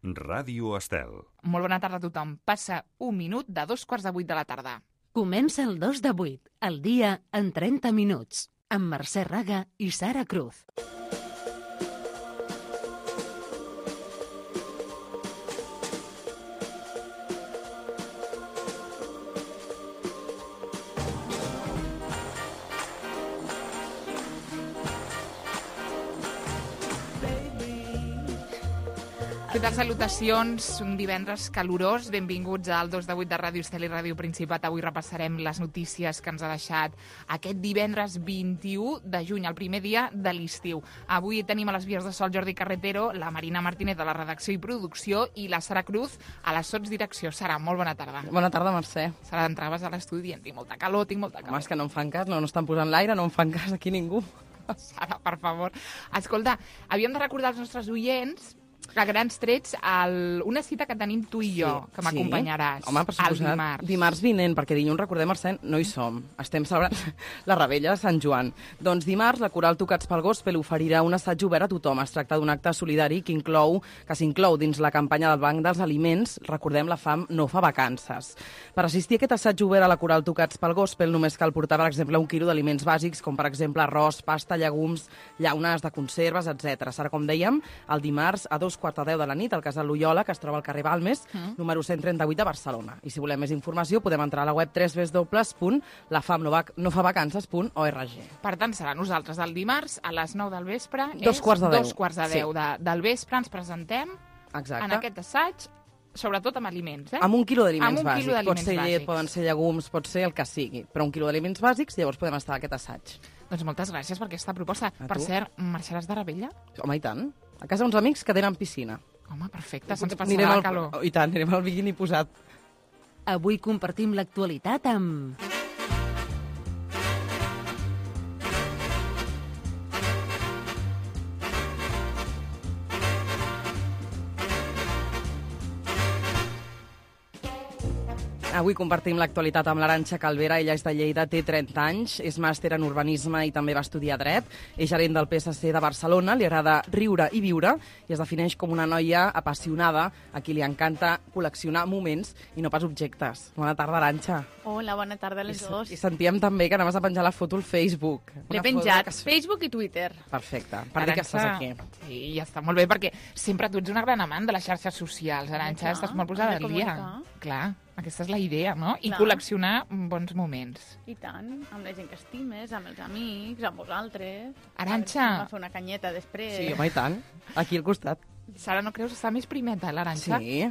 Ràdio Estel. Molt bona tarda a tothom. Passa un minut de 7:45 de la tarda. Comença el 2 de 8, el dia en 30 minuts, amb Mercè Raga i Sara Cruz. Què tal, salutacions? Un divendres calorós. Benvinguts al 2 de 8 de Ràdio Estel i Ràdio Principat. Avui repassarem les notícies que ens ha deixat aquest divendres 21 de juny, el primer dia de l'estiu. Avui tenim a les vies de sol Jordi Carretero, la Marina Martínez de la redacció i producció i la Sara Cruz a la sotsdirecció. Sara, molt bona tarda. Bona tarda, Mercè. Sara, entraves a l'estudi dient, tinc molta calor. Home, és que no em fan cas, no estan posant l'aire, no em fan cas aquí ningú. Sara, per favor. Escolta, havíem de recordar als nostres oients a grans trets una cita que tenim tu i jo, que m'acompanyaràs. Home, per suposat, dimarts. Dimarts vinent, perquè dilluns, recordem, Mercè, no hi som. Estem celebrant la Rebella de Sant Joan. Doncs dimarts, la Coral Tocats pel Gospel oferirà un assaig obert a tothom. Es tracta d'un acte solidari que s'inclou dins la campanya del Banc dels Aliments. Recordem, la fam no fa vacances. Per assistir a aquest assaig obert a la Coral Tocats pel Gospel només cal portar, per exemple, 1 quilo d'aliments bàsics, com per exemple arròs, pasta, llegums, llaunes de conserves, etc. Serà, com dèiem, el dimarts a 2:45 de la nit al Casal Loyola, que es troba al carrer Balmes, número 138 de Barcelona. I si volem més informació podem entrar a la web www.lafamnofavancances.org. Per tant, serà nosaltres el dimarts a les 9 del vespre. 2:45 del vespre ens presentem. Exacte. En aquest assaig, sobretot amb aliments, Amb 1 quilo d'aliments Amb 1 quilo bàsics. Pot ser d'aliments llet, poden ser llegums, pot ser el que sigui. Però 1 quilo d'aliments bàsics, llavors podem estar a aquest assaig. Doncs moltes gràcies per aquesta proposta. A Per tu. cert, marxaràs de Rebella? Home, i tant. A casa uns amics que tenen piscina. Home, perfecte, se'ns Anirem passarà la calor. I tant, anirem al biquini posat. Avui compartim l'actualitat amb... Avui compartim l'actualitat amb l'Arantxa Calvera. Ella és de Lleida, té 30 anys, és màster en urbanisme i també va estudiar dret. És gerent del PSC de Barcelona, li agrada riure i viure i es defineix com una noia apassionada a qui li encanta col·leccionar moments i no pas objectes. Bona tarda, Arantxa. Hola, bona tarda a les dos. I sentíem també que anaves a penjar la foto al Facebook. L'he penjat, Facebook i Twitter. Perfecte, per dir que estàs aquí. Sí, ja està molt bé, perquè sempre tu ets una gran amant de les xarxes socials, Arantxa, Clar, estàs molt posada hem de al dia. comunicar. Clar, aquesta és la idea, no? I Clar. col·leccionar bons moments. I tant, amb la gent que estimes, amb els amics, amb vosaltres. Arantxa. A fer una canyeta després. Sí, home, i tant. Aquí al costat. Sara, no creus estar més primeta, l'Arantxa? Sí.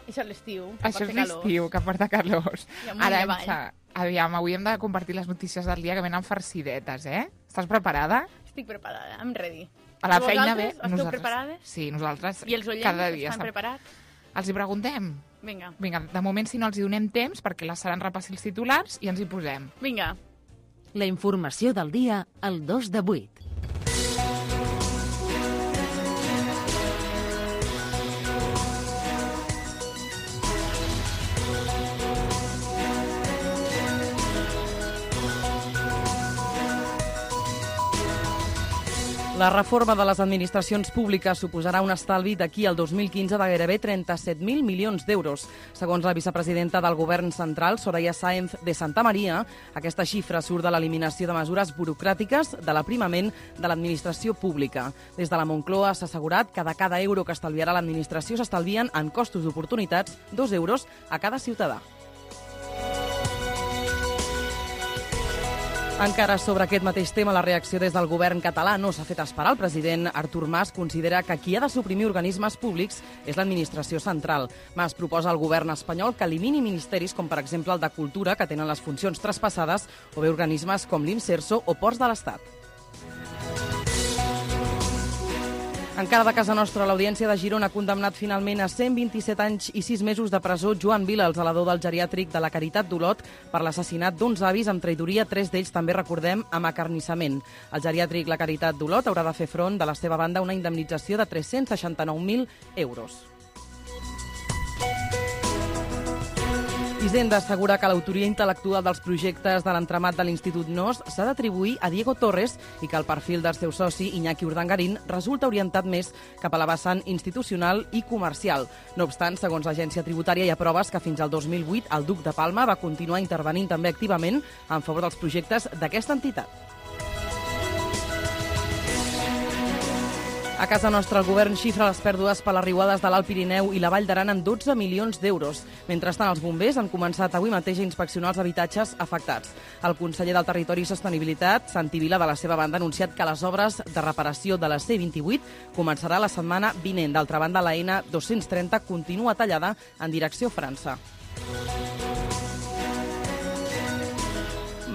Això és l'estiu. que Això és porta calor. l'estiu, que porta calors. I amunt i Arantxa, aviam, avui hem de compartir les notícies del dia que venen farcidetes, eh? Estàs preparada? Estic preparada, I'm ready. A la I feina vosaltres? bé. Esteu preparades? Sí, nosaltres I els oients cada dia estan preparats? Els hi preguntem? Vinga, Vinga, de moment, si no els hi donem temps, perquè la Sara ens repassi els titulars i ens hi posem. vinga. La informació del dia al 2 de 8. La reforma de les administracions públiques suposarà un estalvi d'aquí al 2015 de gairebé 37.000 milions d'euros. Segons la vicepresidenta del Govern central, Soraya Sáenz de Santamaría, aquesta xifra surt de l'eliminació de mesures burocràtiques de l'aprimament de l'administració pública. Des de la Moncloa s'ha assegurat que de cada euro que estalviarà l'administració s'estalvien en costos d'oportunitats 2 euros a cada ciutadà. Encara sobre aquest mateix tema, la reacció des del govern català no s'ha fet esperar. El president Artur Mas considera que qui ha de suprimir organismes públics és l'administració central. Mas proposa al govern espanyol que elimini ministeris com, per exemple, el de Cultura, que tenen les funcions traspassades, o bé organismes com l'Inserso o Ports de l'Estat. Encara de casa nostra, l'Audiència de Girona ha condemnat finalment a 127 anys i 6 mesos de presó Joan Vila, el zelador del geriàtric de la Caritat d'Olot, per l'assassinat d'11 avis amb traïdoria, 3 d'ells també, recordem, amb acarnissament. El geriàtric La Caritat d'Olot haurà de fer front de la seva banda una indemnització de 369.000 euros. Hisenda assegura que l'autoria intel·lectual dels projectes de l'entramat de l'Institut NOS s'ha d'atribuir a Diego Torres i que el perfil del seu soci, Iñaki Urdangarín, resulta orientat més cap a la vessant institucional i comercial. No obstant, segons l'agència tributària, hi ha proves que fins al 2008 el duc de Palma va continuar intervenint també activament en favor dels projectes d'aquesta entitat. A casa nostra, el govern xifra les pèrdues per les riuades de l'Alt Pirineu i la Vall d'Aran en 12 milions d'euros. Mentrestant, els bombers han començat avui mateix a inspeccionar els habitatges afectats. El conseller del Territori i Sostenibilitat, Santi Vila, de la seva banda, ha anunciat que les obres de reparació de la C28 començarà la setmana vinent. D'altra banda, la N230 continua tallada en direcció a França.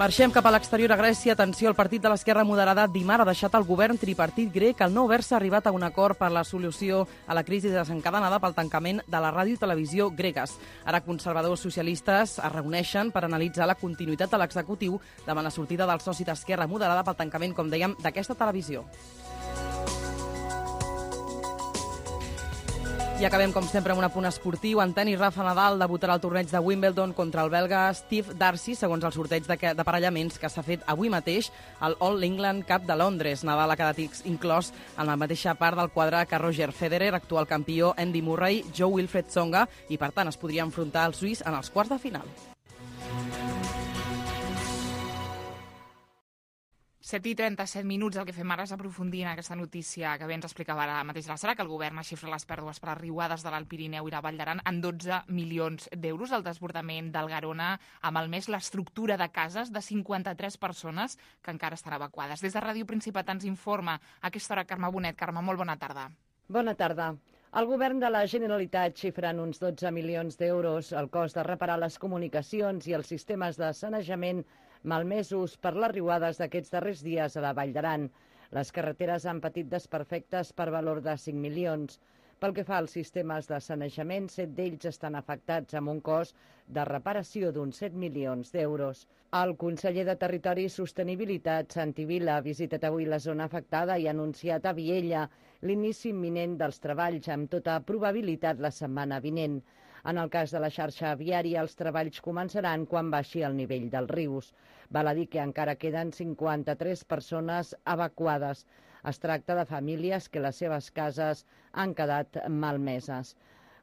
Marxem cap a l'exterior a Grècia. Atenció, el partit de l'Esquerra Moderada dimarts ha deixat el govern tripartit grec al no haver-se arribat a un acord per la solució a la crisi desencadenada pel tancament de la ràdio i televisió gregues. Ara conservadors socialistes es reuneixen per analitzar la continuïtat de l'executiu davant la sortida del soci d'Esquerra Moderada pel tancament, com dèiem, d'aquesta televisió. I acabem, com sempre, amb un apunt esportiu. En tenis, Rafa Nadal debutarà al torneig de Wimbledon contra el belga Steve Darcy, segons el sorteig d'aparellaments que s'ha fet avui mateix al All England Cup de Londres. Nadal ha quedat inclòs en la mateixa part del quadre que Roger Federer, actual campió Andy Murray, Joe Wilfred Tsonga, i, per tant, es podria enfrontar al suís en els quarts de final. 7:37 minuts. El que fem ara és aprofundir en aquesta notícia que bé ens explicava ara mateix la Sara, que el govern ha xifrat les pèrdues per les riuades de l'Alt Pirineu i la Vall d'Aran en 12 milions d'euros. El desbordament del Garona ha malmès l'estructura de cases de 53 persones que encara estan evacuades. Des de Ràdio Principat ens informa a aquesta hora Carme Bonet. Carme, molt bona tarda. Bona tarda. El govern de la Generalitat xifra en uns 12 milions d'euros el cost de reparar les comunicacions i els sistemes de sanejament malmesos per les riuades d'aquests darrers dies a la Vall d'Aran. Les carreteres han patit desperfectes per valor de 5 milions. Pel que fa als sistemes de sanejament, 7 d'ells estan afectats amb un cost de reparació d'uns 7 milions d'euros. El conseller de Territori i Sostenibilitat, Santi Vila, ha visitat avui la zona afectada i ha anunciat a Viella l'inici imminent dels treballs, amb tota probabilitat la setmana vinent. En el cas de la xarxa viària, els treballs començaran quan baixi el nivell dels rius. Val a dir que encara queden 53 persones evacuades. Es tracta de famílies que les seves cases han quedat malmeses.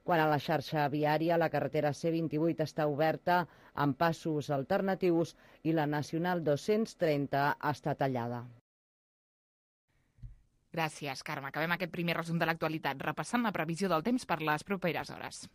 Quant a la xarxa viària, la carretera C28 està oberta amb passos alternatius i la Nacional 230 està tallada. Gràcies, Carme. Acabem aquest primer resum de l'actualitat repassant la previsió del temps per les properes hores.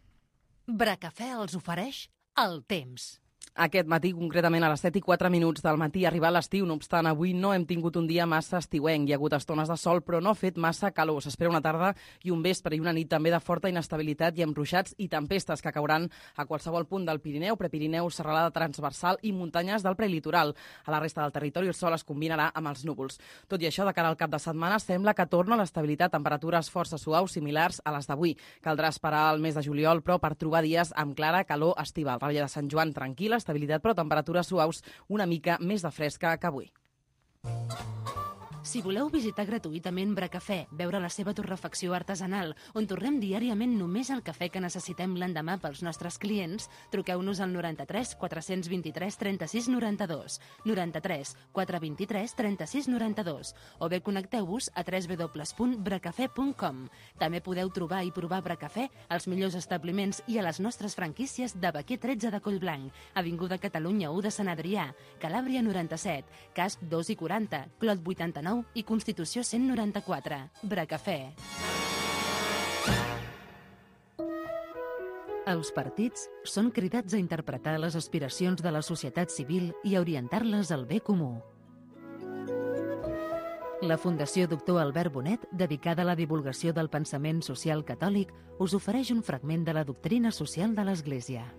Bracafè els ofereix el temps. Aquest matí, concretament a les 7:04 del matí, ha arribat l'estiu. No obstant, avui no hem tingut un dia massa estiuenc. Hi ha hagut estones de sol, però no ha fet massa calor. S'espera una tarda i un vespre i una nit també de forta inestabilitat i amb ruixats i tempestes que cauran a qualsevol punt del Pirineu, Prepirineu, serralada transversal i muntanyes del prelitoral. A la resta del territori el sol es combinarà amb els núvols. Tot i això, de cara al cap de setmana, sembla que torna l'estabilitat, temperatures força suaus similars a les d'avui. Caldrà esperar el mes de juliol, però per trobar dies amb clara calor estival. Revetlla de Sant Joan tranquil·la, estabilitat, però temperatures suaus una mica més de fresca que avui. Si voleu visitar gratuïtament Bracafè, veure la seva torrefacció artesanal, on tornem diàriament només el cafè que necessitem l'endemà pels nostres clients, truqueu-nos al 93 423 36 92, 93 423 36 92, o bé connecteu-vos a www.bracafè.com. També podeu trobar i provar Bracafè als millors establiments i a les nostres franquícies de Baquer 13 de Collblanc, Avinguda Catalunya 1 de Sant Adrià, Calàbria 97, Casp 2 i 40, Clot 89 i Constitució 194. Bracafè. Els partits són cridats a interpretar les aspiracions de la societat civil i a orientar-les al bé comú. La Fundació Doctor Albert Bonet, dedicada a la divulgació del pensament social catòlic, us ofereix un fragment de la doctrina social de l'Església.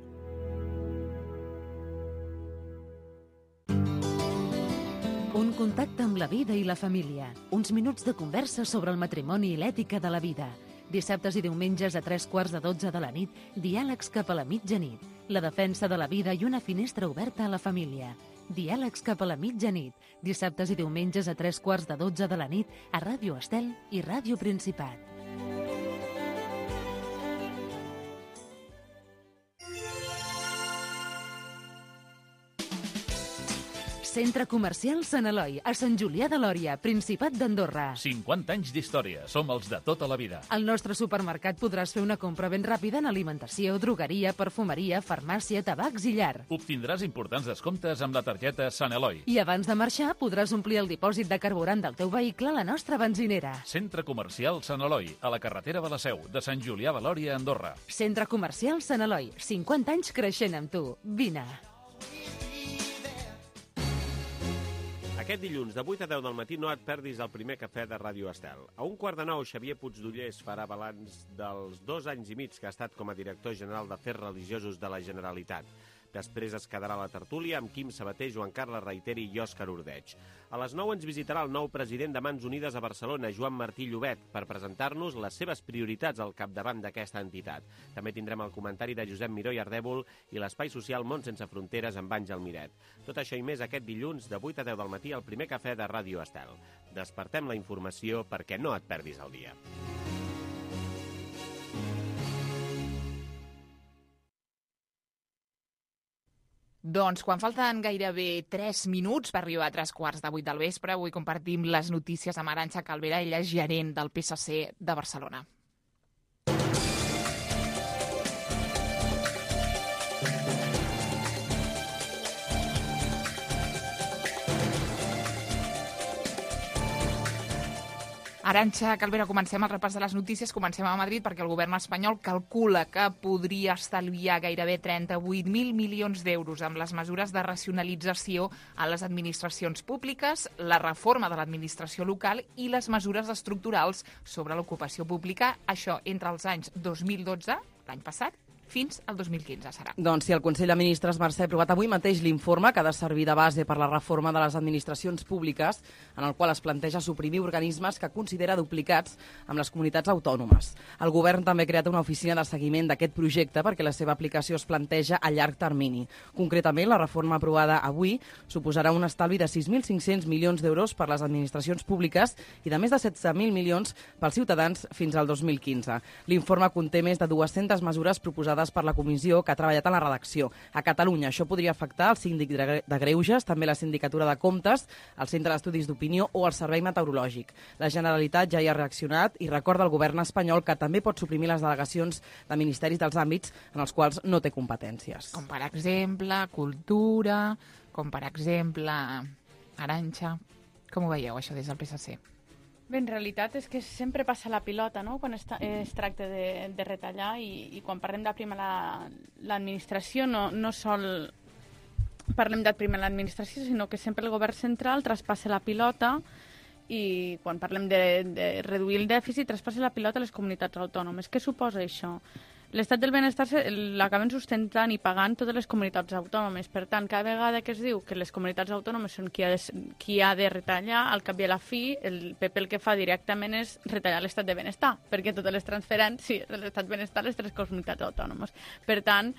Un contacte amb la vida i la família. Uns minuts de conversa sobre el matrimoni i l'ètica de la vida. Dissabtes i diumenges a 3:15 de la nit, diàlegs cap a la mitjanit. La defensa de la vida i una finestra oberta a la família. Diàlegs cap a la mitjanit. Dissabtes i diumenges a 3:15 de la nit a Ràdio Estel i Ràdio Principat. Centre Comercial Sant Eloi, a Sant Julià de Lòria, Principat d'Andorra. 50 anys d'història. Som els de tota la vida. Al nostre supermercat podràs fer una compra ben ràpida en alimentació, drogueria, perfumeria, farmàcia, tabacs i llar. Obtindràs importants descomptes amb la targeta Sant Eloi. I abans de marxar podràs omplir el dipòsit de carburant del teu vehicle a la nostra benzinera. Centre Comercial Sant Eloi, a la carretera de la Seu, de Sant Julià de Lòria, Andorra. Centre Comercial Sant Eloi, 50 anys creixent amb tu. Vine. Aquest dilluns, de 8 a 10 del matí, no et perdis el primer cafè de Ràdio Estel. A 1:15, Xavier Puigdollers farà balanç dels 2 anys i mig que ha estat com a director general d'Afers Religiosos de la Generalitat. Després es quedarà la tertúlia amb Quim Sabater, Joan Carles Reiteri i Òscar Ordeig. A les 9 ens visitarà el nou president de Mans Unides a Barcelona, Joan Martí Llobet, per presentar-nos les seves prioritats al capdavant d'aquesta entitat. També tindrem el comentari de Josep Miró i Ardèvol i l'espai social Món Sense Fronteres amb Àngel Miret. Tot això i més aquest dilluns, de 8 a 10 del matí, al primer cafè de Ràdio Estel. Despertem la informació perquè no et perdis el dia. Doncs quan falten gairebé 3 minuts per arribar a 3:15 del vespre, avui compartim les notícies amb Arantxa Calvera, ella és gerent del PSC de Barcelona. Arantxa Calvera, comencem el repàs de les notícies. Comencem a Madrid perquè el govern espanyol calcula que podria estalviar gairebé 38.000 milions d'euros amb les mesures de racionalització a les administracions públiques, la reforma de l'administració local i les mesures estructurals sobre l'ocupació pública. Això entre els anys 2012, l'any passat, fins al 2015 serà. Doncs sí, el Consell de Ministres, Mercè, ha aprovat avui mateix l'informe que ha de servir de base per la reforma de les administracions públiques, en el qual es planteja suprimir organismes que considera duplicats amb les comunitats autònomes. El govern també ha creat una oficina de seguiment d'aquest projecte perquè la seva aplicació es planteja a llarg termini. Concretament, la reforma aprovada avui suposarà un estalvi de 6.500 milions d'euros per les administracions públiques i de més de 16.000 milions pels ciutadans fins al 2015. L'informe conté més de 200 mesures proposades per la comissió que ha treballat en la redacció. A Catalunya això podria afectar el síndic de Greuges, també la sindicatura de Comptes, el Centre d'Estudis d'Opinió o el Servei Meteorològic. La Generalitat ja hi ha reaccionat i recorda al govern espanyol que també pot suprimir les delegacions de ministeris dels àmbits en els quals no té competències. Com per exemple cultura, com per exemple Arantxa. Com ho veieu, això, des del PSC? Bé, en realitat és que sempre passa la pilota, no?, quan es tracta de retallar i quan parlem d'aprimar l'administració no sol parlem d'aprimar l'administració, sinó que sempre el govern central traspassa la pilota i quan parlem de reduir el dèficit traspassa la pilota a les comunitats autònomes. Què suposa això? L'estat del benestar l'acaben sustentant i pagant totes les comunitats autònomes. Per tant, cada vegada que es diu que les comunitats autònomes són qui ha de retallar, al cap i a la fi, el PP el que fa directament és retallar l'estat de benestar, perquè totes les transferències de l'estat de benestar les 3 comunitats autònomes. Per tant,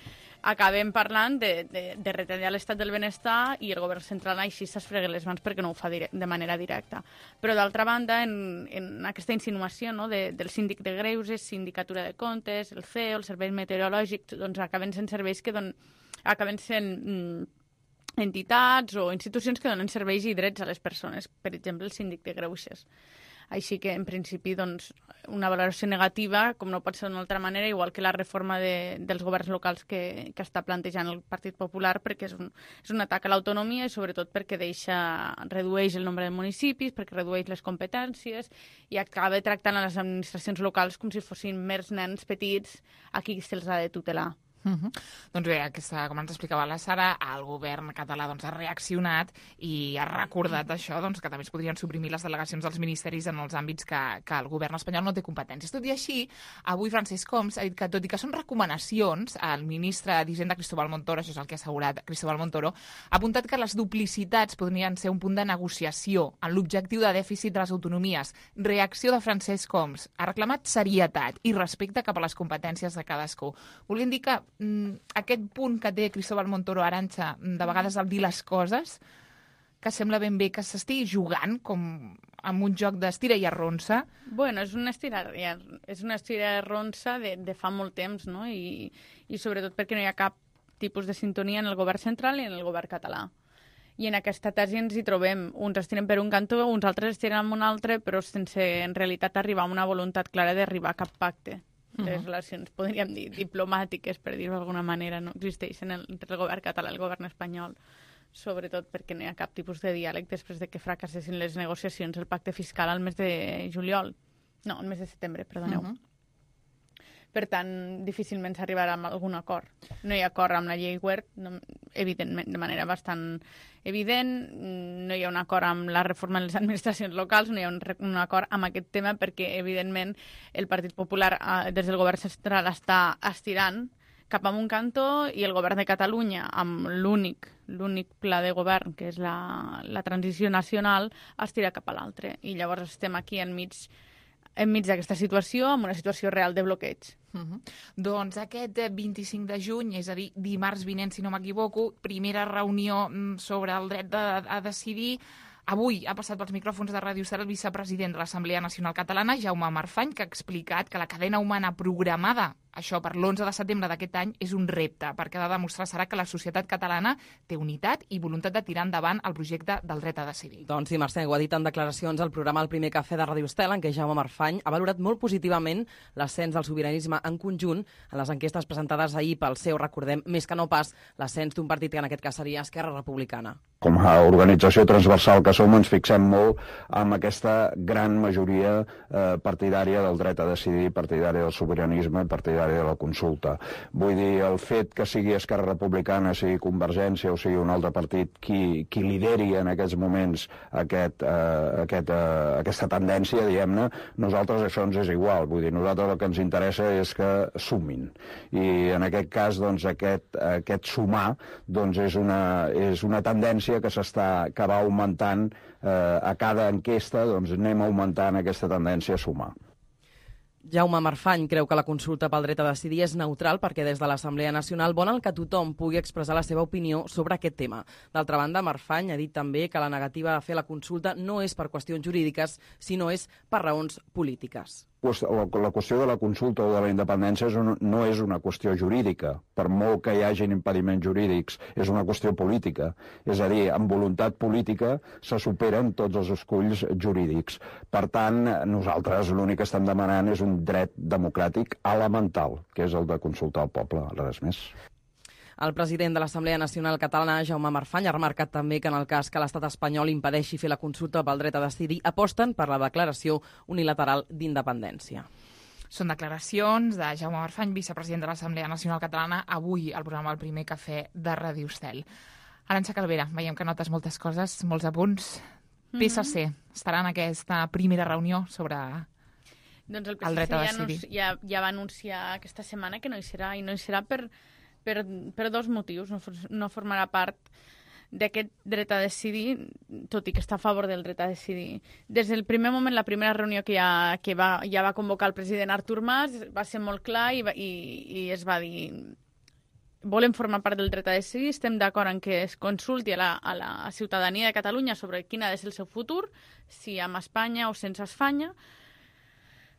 acabem parlant de retallar l'estat del benestar i el govern central així s'esfrega les mans perquè no ho fa de manera directa. Però d'altra banda, en aquesta insinuació, no, del síndic de Greuges, sindicatura de Comptes, el CEO, el servei meteorològic, doncs acaben sent serveis que acaben sent entitats o institucions que donen serveis i drets a les persones, per exemple el síndic de Greuges. Així que, en principi, doncs, una valoració negativa, com no pot ser d'una altra manera, igual que la reforma dels governs locals que està plantejant el Partit Popular, perquè és un atac a l'autonomia i, sobretot, perquè redueix el nombre de municipis, perquè redueix les competències i acaba tractant a les administracions locals com si fossin mers nens petits a qui se'ls ha de tutelar. Doncs bé, com ens explicava la Sara, el govern català ha reaccionat i ha recordat això, que també es podrien suprimir les delegacions dels ministeris en els àmbits que el govern espanyol no té competències. Tot i així, avui Francesc Homs ha dit que, tot i que són recomanacions, el ministre d'Hisenda Cristóbal Montoro, això és el que ha assegurat Cristóbal Montoro, ha apuntat que les duplicitats podrien ser un punt de negociació en l'objectiu de dèficit de les autonomies. Reacció de Francesc Homs. Ha reclamat serietat i respecte cap a les competències de cadascú. Volien dir que aquest punt que té Cristóbal Montoro, Arantxa, de vegades al dir les coses, que sembla ben bé que s'estigui jugant com amb un joc d'estira i arronsa. Bueno, és una estira i arronsa de fa molt temps, no? I sobretot perquè no hi ha cap tipus de sintonia en el govern central i en el govern català. I en aquesta tesi ens hi trobem. Uns es tiren per un cantó, uns altres es tiren en un altre, però sense en realitat arribar a una voluntat clara d'arribar a cap pacte. Les relacions, podríem dir, diplomàtiques, per dir-ho d'alguna manera, no existeixen entre el govern català i el govern espanyol, sobretot perquè no hi ha cap tipus de diàleg després de que fracassessin les negociacions, el pacte fiscal al mes de juliol. No, al mes de setembre, perdoneu. Per tant, difícilment s'arribarà a algun acord. No hi ha acord amb la llei Wert, evidentment, de manera bastant evident. No hi ha un acord amb la reforma de les administracions locals, no hi ha un acord amb aquest tema perquè, evidentment, el Partit Popular des del govern central està estirant cap a un cantó i el govern de Catalunya, amb l'únic pla de govern, que és la transició nacional, estira cap a l'altre. I llavors estem aquí enmig d'aquesta situació, amb una situació real de bloqueig. Doncs aquest 25 de juny, és a dir, dimarts vinent, si no m'equivoco, primera reunió sobre el dret a decidir. Avui ha passat pels micròfons de Ràdio Estel el vicepresident de l'Assemblea Nacional Catalana, Jaume Marfany, que ha explicat que la cadena humana programada, això per l'11 de setembre d'aquest any, és un repte, perquè ha de demostrar serà que la societat catalana té unitat i voluntat de tirar endavant el projecte del dret a decidir. Doncs sí, Mercè, ho ha dit en declaracions al programa El primer cafè de Ràdio Estel, en què Jaume Marfany ha valorat molt positivament l'ascens del sobiranisme en conjunt en les enquestes presentades ahir pel seu, recordem, més que no pas l'ascens d'un partit que en aquest cas seria Esquerra Republicana. Com a organització transversal que som, ens fixem molt en aquesta gran majoria partidària del dret a decidir, partidària del sobiranisme, partidària de la consulta. Vull dir, el fet que sigui Esquerra Republicana, sigui Convergència o sigui un altre partit qui lideri en aquests moments aquesta tendència, diguem-ne, nosaltres això ens és igual. Vull dir, nosaltres el que ens interessa és que sumin. I en aquest cas, doncs, aquest sumar doncs, és una tendència que va augmentant a cada enquesta, doncs anem augmentant aquesta tendència a sumar. Jaume Marfany creu que la consulta pel dret a decidir és neutral perquè des de l'Assemblea Nacional volen que tothom pugui expressar la seva opinió sobre aquest tema. D'altra banda, Marfany ha dit també que la negativa a fer la consulta no és per qüestions jurídiques, sinó és per raons polítiques. La qüestió de la consulta o de la independència no és una qüestió jurídica. Per molt que hi hagin impediments jurídics, és una qüestió política. És a dir, amb voluntat política se superen tots els esculls jurídics. Per tant, nosaltres l'únic que estem demanant és un dret democràtic elemental, que és el de consultar el poble, res més. El president de l'Assemblea Nacional Catalana, Jaume Marfany, ha remarcat també que en el cas que l'estat espanyol impedeixi fer la consulta pel dret a decidir, aposten per la declaració unilateral d'independència. Són declaracions de Jaume Marfany, vicepresident de l'Assemblea Nacional Catalana, avui al programa El primer cafè de Ràdio Estel. Arantxa Calvera, veiem que notes moltes coses, molts apunts. PSC estarà en aquesta primera reunió sobre doncs el el dret a decidir. Ja va anunciar aquesta setmana que no hi serà, i no hi serà per dos motius. No formarà part d'aquest dret a decidir, tot i que està a favor del dret a decidir. Des del primer moment, la primera reunió que ja va convocar el president Artur Mas, va ser molt clar i es va dir: volem formar part del dret a decidir, estem d'acord en que es consulti a la ciutadania de Catalunya sobre quin ha de ser el seu futur, si amb Espanya o sense Espanya,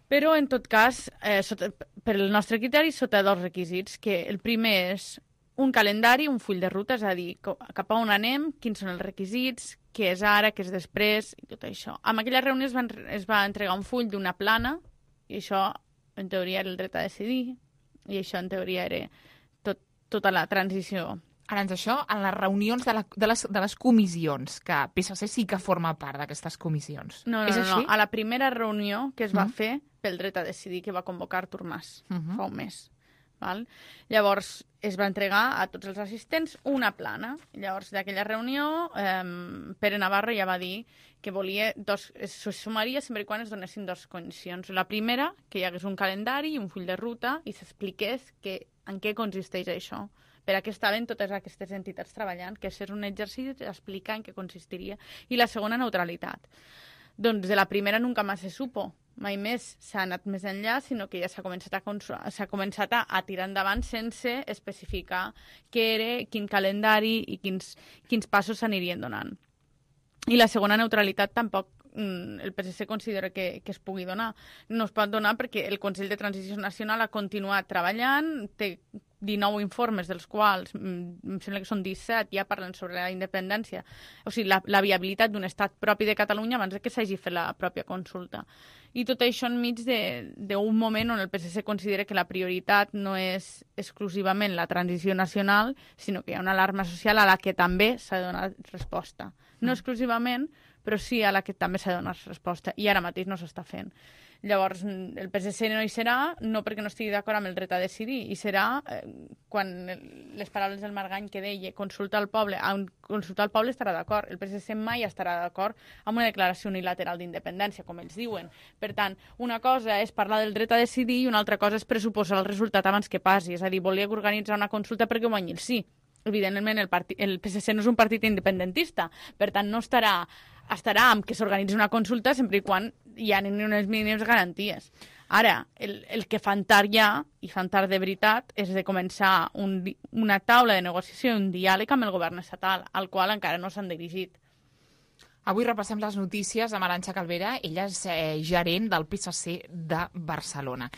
però, en tot cas, per el nostre criteri, sota dos requisits, que el primer és un calendari, un full de ruta, és a dir, cap a on anem, quins són els requisits, què és ara, què és després, i tot això. En aquella reunió es va entregar un full d'una plana, i això, en teoria, era el dret a decidir, i això, en teoria, era tota la transició. Ara, això, en les reunions de les comissions, que PSC sí que forma part d'aquestes comissions. No, a la primera reunió que es va fer pel dret a decidir, que va convocar Artur Mas fa un mes. Val? Llavors, es va entregar a tots els assistents una plana. Llavors, d'aquella reunió, Pere Navarro ja va dir que volia se sumaria sempre quan es donessin dues condicions. La primera, que hi hagués un calendari i un full de ruta i s'expliqués en què consisteix això, per a què estaven totes aquestes entitats treballant, que és un exercici d'explicar en què consistiria. I la segona, neutralitat. Doncs de la primera nunca més se supo. Mai més s'ha anat més enllà, sinó que ja s'ha començat a tirar endavant sense especificar què era, quin calendari i quins passos s'anirien donant. I la segona, neutralitat, tampoc el PSC considera que es pugui donar. No es pot donar perquè el Consell de Transició Nacional ha continuat treballant, té 19 informes, dels quals em sembla que són 17, ja parlen sobre la independència, o sigui, la viabilitat d'un estat propi de Catalunya abans que s'hagi fet la pròpia consulta. I tot això enmig d'un moment on el PSC considera que la prioritat no és exclusivament la transició nacional, sinó que hi ha una alarma social a la que també s'ha de donar resposta. No exclusivament, però sí a la que també s'ha de donar resposta, i ara mateix no s'està fent. Llavors, el PSC no hi serà, no perquè no estigui d'acord amb el dret a decidir, i serà quan les paraules del Margany que deia consultar el poble estarà d'acord. El PSC mai estarà d'acord amb una declaració unilateral d'independència, com ells diuen. Per tant, una cosa és parlar del dret a decidir i una altra cosa és pressuposar el resultat abans que passi. És a dir, volia organitzar una consulta perquè guanyi el sí. Evidentment, el PSC no és un partit independentista, per tant, no estarà amb que s'organitzi una consulta sempre i quan hi ha unes mínimes garanties. Ara, el que fan tard ja, i fan tard de veritat, és de començar una taula de negociació i un diàleg amb el govern estatal, al qual encara no s'han dirigit. Avui repassem les notícies amb Arantxa Calvera. Ella és gerent del PSC de Barcelona.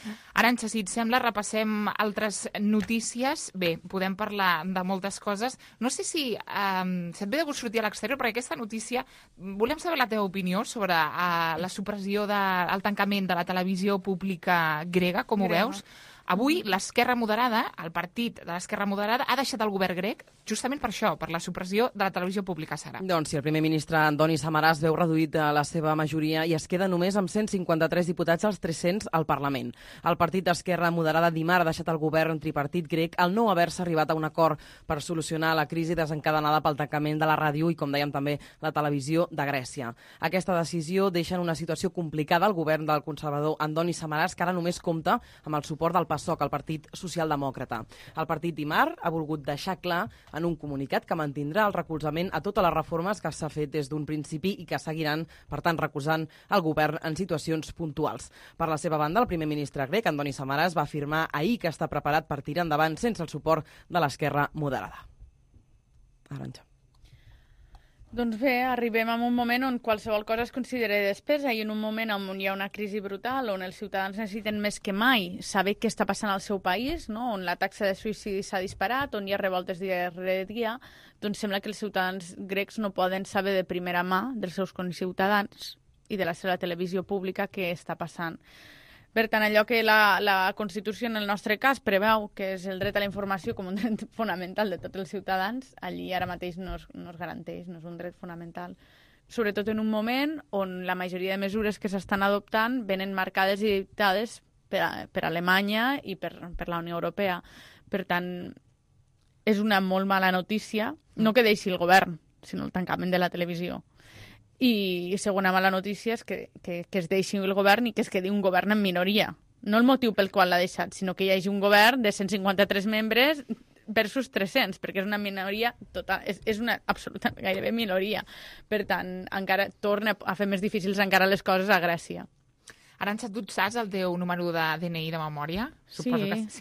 Arantxa, si et sembla, repassem altres notícies. Bé, podem parlar de moltes coses. No sé si et ve de gust sortir a l'exterior, perquè aquesta notícia, volem saber la teva opinió sobre la supressió del tancament de la televisió pública grega, com ho veus? Avui l'Esquerra Moderada, el partit de l'Esquerra Moderada, ha deixat el govern grec justament per això, per la supressió de la televisió pública, Sara. Doncs sí, el primer ministre Antoni Samaràs veu reduït la seva majoria i es queda només amb 153 diputats als 300 al Parlament. El partit d'Esquerra Moderada dimarts ha deixat el govern tripartit grec al no haver-se arribat a un acord per solucionar la crisi desencadenada pel tancament de la ràdio i, com dèiem, també la televisió de Grècia. Aquesta decisió deixa en una situació complicada el govern del conservador Antoni Samaràs, que ara només compta amb el suport del PASOK, el Partit Socialdemòcrata. El partit dimarts ha volgut deixar clar en un comunicat que mantindrà el recolzament a totes les reformes que s'ha fet des d'un principi i que seguiran, per tant, recolzant el govern en situacions puntuals. Per la seva banda, el primer ministre grec, Antoni Samaràs, va afirmar ahir que està preparat per tirar endavant sense el suport de l'Esquerra Moderada. Arantxa. Doncs bé, arribem a un moment on qualsevol cosa es considera despesa i en un moment on hi ha una crisi brutal, on els ciutadans necessiten més que mai saber què està passant al seu país, no? On la taxa de suïcidi s'ha disparat, on hi ha revoltes dia rere dia, doncs sembla que els ciutadans grecs no poden saber de primera mà dels seus conciutadans i de la seva televisió pública què està passant. Per tant, allò que la Constitució, en el nostre cas, preveu, que és el dret a la informació com un dret fonamental de tots els ciutadans, allí ara mateix no es garanteix, no és un dret fonamental. Sobretot en un moment on la majoria de mesures que s'estan adoptant venen marcades i dictades per Alemanya i per la Unió Europea. Per tant, és una molt mala notícia, no que deixi el govern, sinó el tancament de la televisió. I segona mala notícia és que es deixi el govern i que es quedi un govern en minoria. No el motiu pel qual l'ha deixat, sinó que hi hagi un govern de 153 membres versus 300, perquè és una minoria total, és una absoluta gairebé minoria. Per tant, encara torna a fer més difícils encara les coses a Grècia. Arantxa, tu saps el teu número de DNI de memòria? Sí,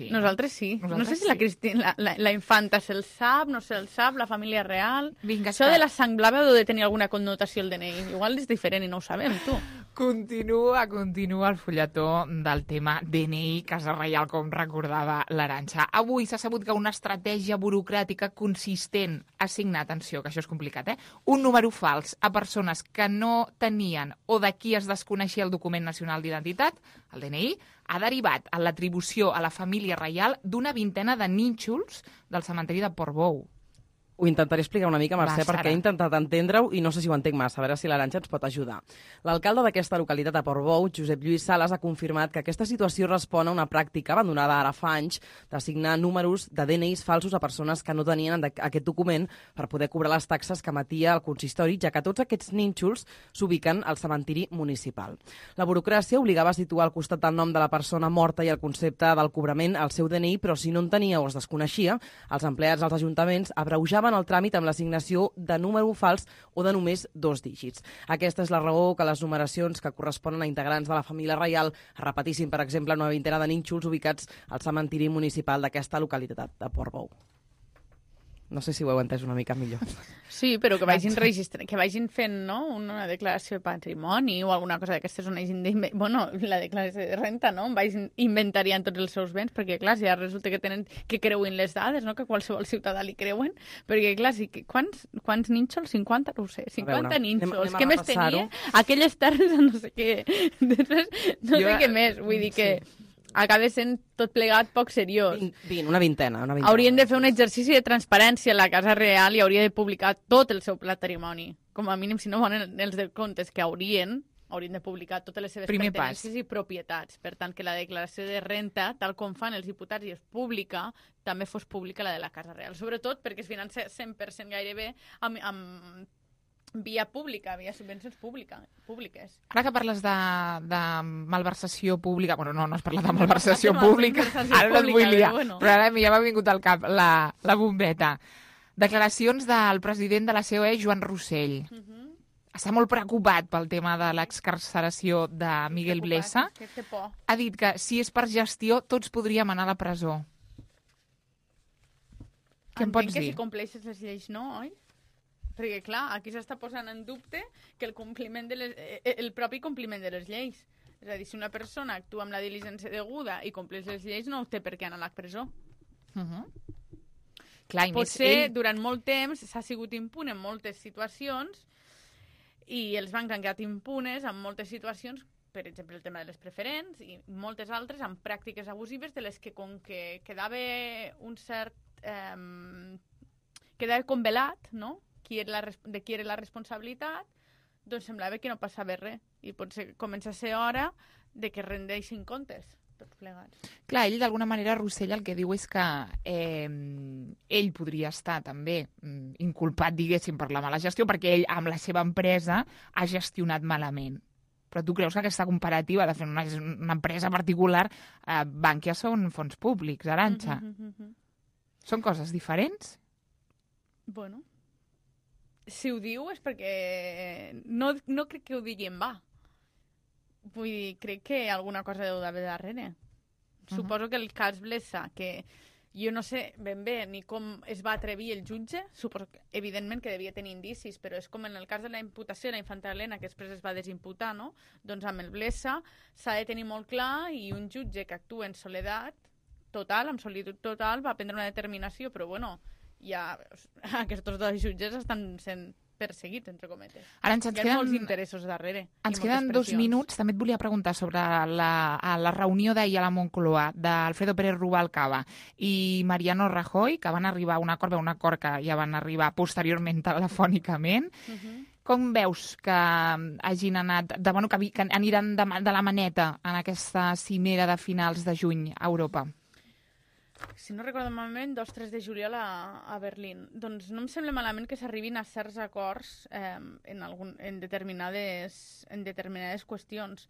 nosaltres sí. No sé si la Cristina, la infanta se'l sap, no se'l sap, la família real. Vinga, això de la sang blava deu de tenir alguna connotació el DNI. Igual és diferent i no ho sabem, tu. Continua el fulletó del tema DNI, Casa Reial, com recordava l'Arantxa. Avui s'ha sabut que una estratègia burocràtica consistent a assignar, atenció, que això és complicat, un número fals a persones que no tenien o de qui es desconeixia el document nacional d'identitat, el DNI, ha derivat en l'atribució a la família reial d'una vintena de nínxols del cementeri de Portbou. Ho intentaré explicar una mica, Mercè, perquè he intentat entendre-ho i no sé si ho entenc massa, a veure si l'Arantxa ens pot ajudar. L'alcalde d'aquesta localitat de Portbou, Josep Lluís Sales, ha confirmat que aquesta situació respon a una pràctica abandonada ara fa anys d'assignar números de DNIs falsos a persones que no tenien aquest document per poder cobrar les taxes que emetia el consistori, ja que tots aquests nínxols s'ubiquen al cementiri municipal. La burocràcia obligava a situar al costat del nom de la persona morta i el concepte del cobrament al seu DNI, però si no en tenia o es desconeixia, els empleats dels ajuntaments abreujaven el tràmit amb l'assignació de número fals o de només 2 dígits. Aquesta és la raó que les numeracions que corresponen a integrants de la família reial es repetissin, per exemple, una vintena de nínxols ubicats al cementiri municipal d'aquesta localitat de Portbou. No sé si ho heu entès una mica millor. Sí, però que vagin que vagin fent, no?, una declaració de patrimoni o alguna cosa d'aquestes on hagin la declaració de renta, no?, vagin inventariant tots els seus béns, perquè, clar, si ja resulta que tenen que creuen les dades, no?, que qualsevol ciutadà li creuen, perquè, clar, quants nínxols? 50? No ho sé, 50 nínxols. Què més tenia? Aquelles terres no sé què. No sé què més, vull dir que acaba sent tot plegat poc seriós. Una vintena. Haurien de fer un exercici de transparència a la Casa Real i hauria de publicar tot el seu patrimoni. Com a mínim, si no volen els de comptes que haurien de publicar totes les seves pertinences i propietats. Per tant, que la declaració de renta, tal com fan els diputats i és pública, també fos pública la de la Casa Real. Sobretot perquè es finança 100% gairebé amb via pública, via subvencions públiques. Ara que parles de malversació pública, bueno, no has parlat de malversació pública, ara no et vull liar, però ara ja m'ha vingut al cap la bombeta. Declaracions del president de la COE, Joan Rossell. Està molt preocupat pel tema de l'excarceració de Miguel Blesa. Ha dit que si és per gestió tots podríem anar a la presó. Què em pots dir? Entenc que si compleixes les lleis no, oi? Perquè, clar, aquí s'està posant en dubte que el propi compliment de les lleis. És a dir, si una persona actua amb la diligència deguda i compleix les lleis, no té per què anar a la presó. Clar, potser durant molt temps s'ha sigut impune en moltes situacions i els bancs han quedat impunes en moltes situacions, per exemple, el tema de les preferents i moltes altres amb pràctiques abusives de les que, com que quedava un cert... quedava convelat, no?, de qui era la responsabilitat, doncs semblava que no passava res. I potser comença a ser hora de que rendeixin comptes, tots plegats. Clar, ell d'alguna manera, Rossell, el que diu és que ell podria estar també inculpat, diguéssim, per la mala gestió, perquè ell, amb la seva empresa, ha gestionat malament. Però tu creus que aquesta comparativa de fer una empresa particular, Bankia són fons públics, Arantxa? Són coses diferents? Bueno, si ho diu és perquè no crec que ho digui en va. Vull dir, crec que alguna cosa deu d'haver darrere. Suposo que el cas Blesa, que jo no sé ben bé ni com es va atrevir el jutge, suposo que, evidentment, que devia tenir indicis, però és com en el cas de la imputació de la infanta Helena, que després es va desimputar, no? Doncs amb el Blesa s'ha de tenir molt clar i un jutge que actua en soledat total, amb solitud total, va prendre una determinació, però bueno, ja aquests dos jutges estan sent perseguits, entre cometes. Arantxa, hi ha molts interessos darrere. Ens queden 2 minuts. També et volia preguntar sobre la reunió d'ahir a la Moncloa d'Alfredo Pérez Rubalcaba i Mariano Rajoy, que van arribar a un acord que ja van arribar posteriorment telefònicament. Com veus que hagin anat, que aniran de la maneta en aquesta cimera de finals de juny a Europa? Si no recordo malament, 2-3 de juliol a Berlín. Doncs no em sembla malament que s'arribin a certs acords en determinades qüestions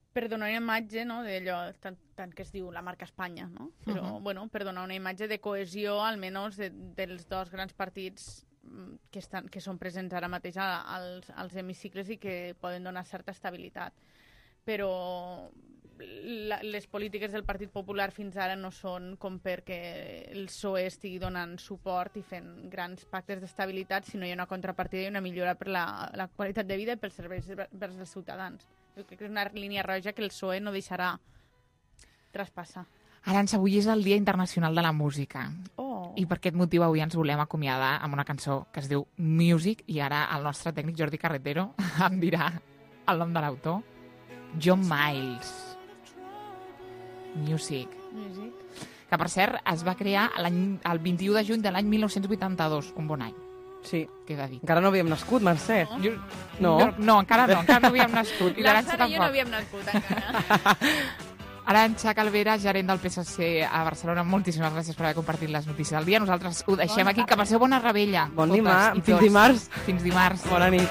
per donar una imatge, no, d'allò tant que es diu la marca Espanya, no? Però, bueno, per donar una imatge de cohesió, almenys dels dos grans partits que són presents ara mateix als hemicicles i que poden donar certa estabilitat. Però les polítiques del Partit Popular fins ara no són com perquè el PSOE estigui donant suport i fent grans pactes d'estabilitat, sinó hi ha una contrapartida i una millora per la qualitat de vida i pels serveis vers els ciutadans. Jo crec que és una línia roja que el PSOE no deixarà traspassar. Arantxa, avui és el Dia Internacional de la Música. I per aquest motiu avui ens volem acomiadar amb una cançó que es diu Music, i ara el nostre tècnic Jordi Carretero em dirà el nom de l'autor. John Miles. Music. Que, per cert, es va crear el 21 de juny de l'any 1982. Un bon any. Sí. Queda dit. Encara no havíem nascut, Mercè. No, encara no havíem nascut. La Sara i jo no havíem nascut, encara. Arantxa Calvera, gerent del PSC a Barcelona, moltíssimes gràcies per haver compartit les notícies del dia. Nosaltres ho deixem aquí. Que passeu bona rebella. Bon dimarts. Fins dimarts. Fins dimarts. Bona nit.